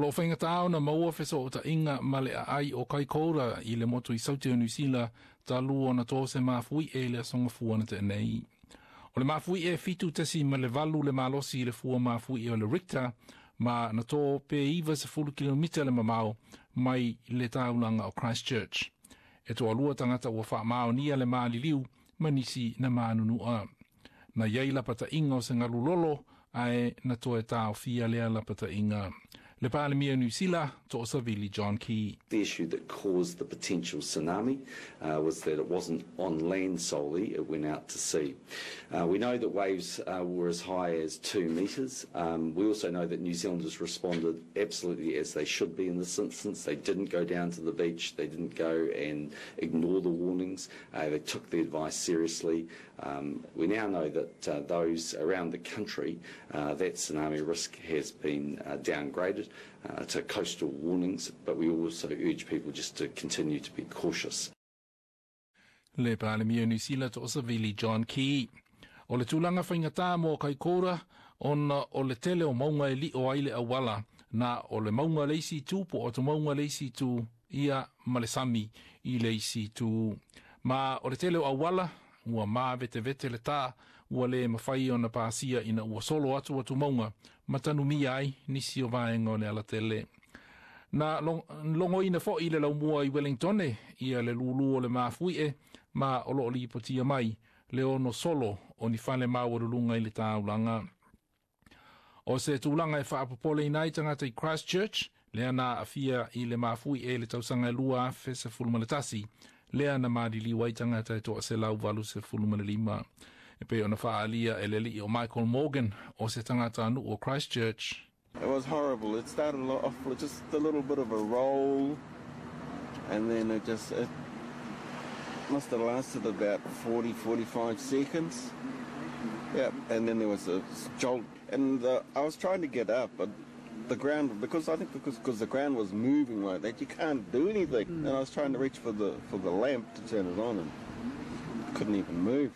O loo faigata ona maua fesootaiga ma le aai o Kaikoura i le motu i Sauti o Niusila talu ona to se mafuie i le aso Gafua na tea nei. O le mafuie 7.8 le malosi i le fua mafuie o le Richter, ma na to pe 90 kilomita le mamao mai le taulaga o Christchurch. E toalua tagata ua faamaonia le maliliu ma nisi na manunua. Na iai lapataiga o se galulolo ae na toe taofia lea lapataiga. Le Palemia Niu Sila, To'osavili John Key. The issue that caused the potential tsunami was that it wasn't on land solely, it went out to sea. We know that waves were as high as 2 metres. We also know that New Zealanders responded absolutely as they should be in this instance. They didn't go down to the beach, they didn't go and ignore the warnings, they took the advice seriously. We now know that those around the country, that tsunami risk has been downgraded to coastal warnings, but we also urge people just to continue to be cautious. Le Palemia Niu Sila To'osavili John Key. O le tulaga faigata mo Kaikoura ona o le tele o mauga e lio ai le auala na o le mauga le isi itu po o te mauga le isi itu ia ma le sami i le isi itu. Ma o le tele o auala ua mavetevetele le tā ua le mafai ona pasia ina ua solo atu atu mauga ma tanumia ai nisi o vaega o le alatele. Na logoina foi le laumua i Wellington ia le lūlū o le mafuie ma o loo lipotia mai le ono solo o ni fale maualuluga i le taulaga. O se tulaga e faapopoleina ai tagata i Christchurch, lea na aafia i le mafuie le tausaga e 2011, lea na maliliu ai tagata e 185. E pei ona faaalia e le alii o Michael Morgan o se tagatanuu o Christchurch. It was horrible. It started off with just a little bit of a roll, and then it must have lasted about 40, 45 seconds. Yeah, and then there was a jolt, and I was trying to get up, but the ground, because I think because the ground was moving like that, you can't do anything. And I was trying to reach for the lamp to turn it on, and couldn't even move.